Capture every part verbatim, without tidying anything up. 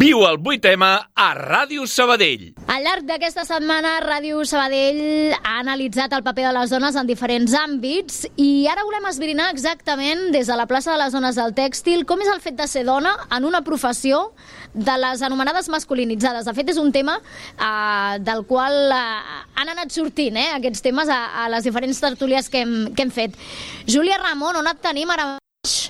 Viu el vuit eme a Ràdio Sabadell. Al llarg d'aquesta setmana, Ràdio Sabadell ha analitzat el paper de les dones en diferents àmbits i ara volem esbrinar exactament des de la plaça de les dones del tèxtil com és el fet de ser dona en una professió de les anomenades masculinitzades. De fet, és un tema eh, del qual eh, han anat sortint eh, aquests temes a, a les diferents tertúlies que hem, que hem fet. Júlia Ramon, on et tenim ara mateix?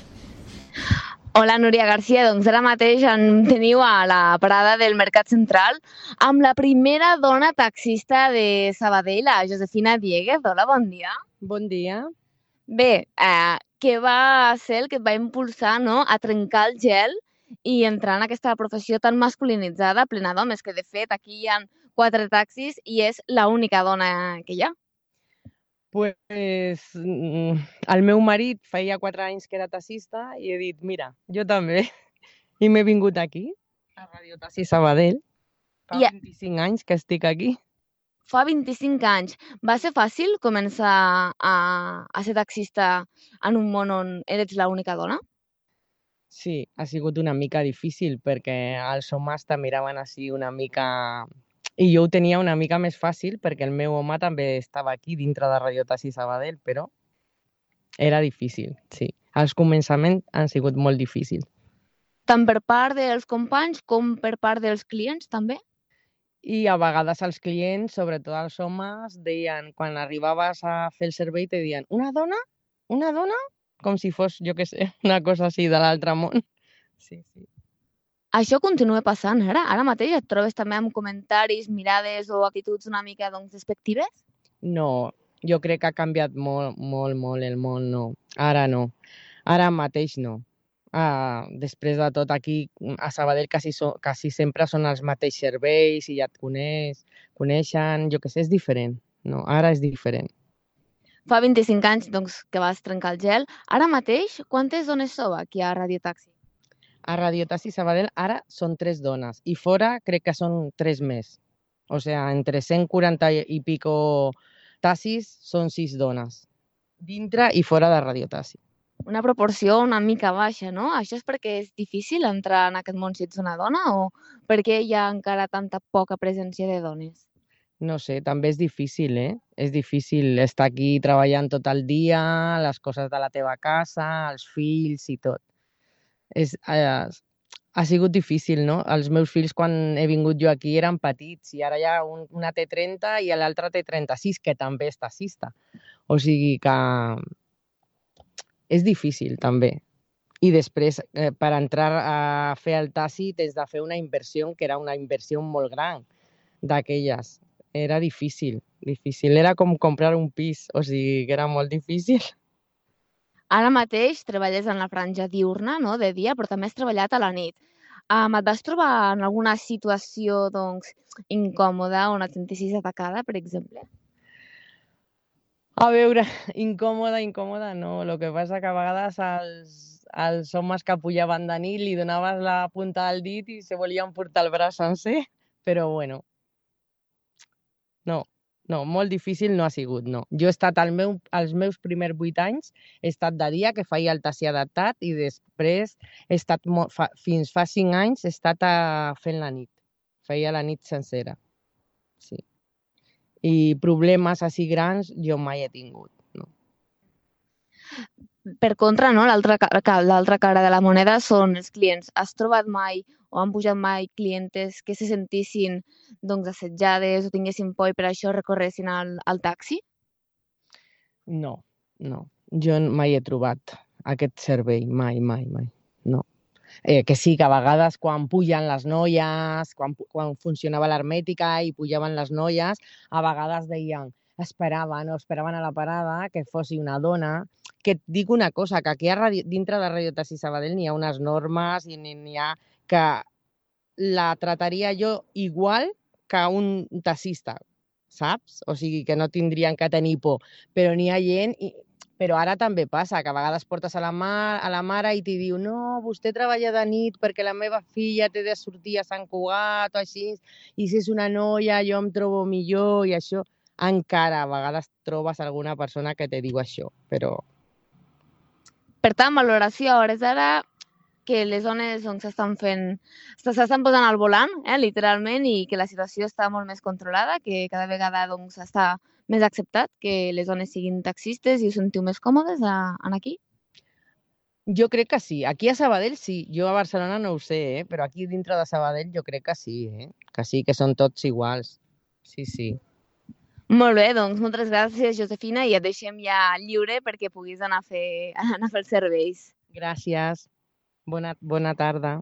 Hola, Núria Garcia. Doncs ara mateix em teniu a la parada del Mercat Central amb la primera dona taxista de Sabadell, la Josefina Dieguez. Hola, bon dia. Bon dia. Bé, eh, què va ser el que et va impulsar, no?, a trencar el gel i entrar en aquesta professió tan masculinitzada, plena d'homes, que de fet aquí hi ha quatre taxis i és l'única dona que hi ha? Pues el meu marit feia quatre anys que era taxista i he dit, mira, jo també. I m'he vingut aquí, a Radio Taxi Sabadell. Fa I... vint-i-cinc anys que estic aquí. Fa vint-i-cinc anys. Va ser fàcil començar a, a ser taxista en un món on eres l'única dona? Sí, ha sigut una mica difícil perquè els homes te miraven així una mica... I jo ho tenia una mica més fàcil perquè el meu home també estava aquí dintre de Radio Taxi Sabadell, però era difícil, sí. Els començaments han sigut molt difícils. Tant per part dels companys com per part dels clients, també? I a vegades els clients, sobretot els homes, deien, quan arribaves a fer el servei, te deien, una dona? Una dona? Com si fos, jo què sé, una cosa així de l'altre món. Sí, sí. Això continua passant ara? Ara mateix et trobes també amb comentaris, mirades o actituds una mica doncs, despectives? No, jo crec que ha canviat molt, molt, molt el món, no. Ara no. Ara mateix no. Ah, després de tot aquí, a Sabadell quasi, so, quasi sempre són els mateixos serveis i ja et coneix, coneixen, jo què sé, és diferent. No, ara és diferent. Fa vint-i-cinc anys doncs, que vas trencar el gel. Ara mateix, quantes dones sou aquí a Radio Taxi? A Radio Taxi Sabadell ara són tres dones i fora crec que són tres més. O sigui, entre cent quaranta i pico taxis són sis dones, dintre i fora de Radio Taxi. Una proporció una mica baixa, no? Això és perquè és difícil entrar en aquest món si ets una dona o perquè hi ha encara tanta poca presència de dones? No sé, també és difícil, eh? És difícil estar aquí treballant tot el dia, les coses de la teva casa, els fills i tot. És, eh, ha sigut difícil, no? Els meus fills, quan he vingut jo aquí, eren petits i ara ja un, una té trenta i l'altra té trenta-sis, que també és taxista. O sigui que és difícil, també. I després, eh, per entrar a fer el taxi, tens de fer una inversió, que era una inversió molt gran d'aquelles. Era difícil, difícil. Era com comprar un pis, o sigui que era molt difícil. Ara mateix treballes en la franja diurna, no?, de dia, però també has treballat a la nit. Um, et vas trobar en alguna situació doncs, incòmoda on et sentissis atacada, per exemple? A veure, incòmoda, incòmoda no. El que passa que a vegades els, els homes que pujaven de nit li donaves la punta del dit i se volien portar el braç sencer, però bueno, no. No, molt difícil no ha sigut, no. Jo he estat al meu, als meus primers vuit anys, he estat de dia, que feia el taxi adaptat, i després he estat, fa, fins fa cinc anys, he estat a, fent la nit. Feia la nit sencera. Sí. I problemes així grans jo mai he tingut, no. Per contra, no, l'altra l'altra cara de la moneda són els clients. Has trobat mai o han pujat mai clientes que se sentissin doncs, assetjades o tinguessin por i per això recorressin al, al taxi? No, no. Jo mai he trobat aquest servei, mai, mai, mai. No. Eh, que sí, que a vegades quan pugen les noies, quan, quan funcionava l'hermètica i pujaven les noies, a vegades deien, esperaven o esperaven a la parada que fos una dona. Que et dic una cosa, que aquí a radio, dintre de Radio Taxi Sabadell n'hi ha unes normes i n'hi ha que la trataria jo igual que un taxista, saps? O sigui, que no tindrien que tenir por. Però n'hi ha gent... I... Però ara també passa, que a vegades portes a la, mar, a la mare i t'hi diu no, vostè treballa de nit perquè la meva filla té de sortir a Sant Cugat o així, i si és una noia jo em trobo millor i això. Encara a vegades trobes alguna persona que te diu això, però... Per tant, valoració a hores d'ara, que les dones doncs, s'estan fent, s'estan posant al volant, eh, literalment, i que la situació està molt més controlada, que cada vegada doncs, està més acceptat que les dones siguin taxistes i us sentiu més còmodes a, en aquí? Jo crec que sí. Aquí a Sabadell sí. Jo a Barcelona no ho sé, eh? Però aquí dintre de Sabadell jo crec que sí, eh? Que sí, que són tots iguals. Sí, sí. Molt bé, doncs moltes gràcies, Josefina, i et deixem ja lliure perquè puguis anar a fer, anar a fer els serveis. Gràcies. Bona, bona tarda.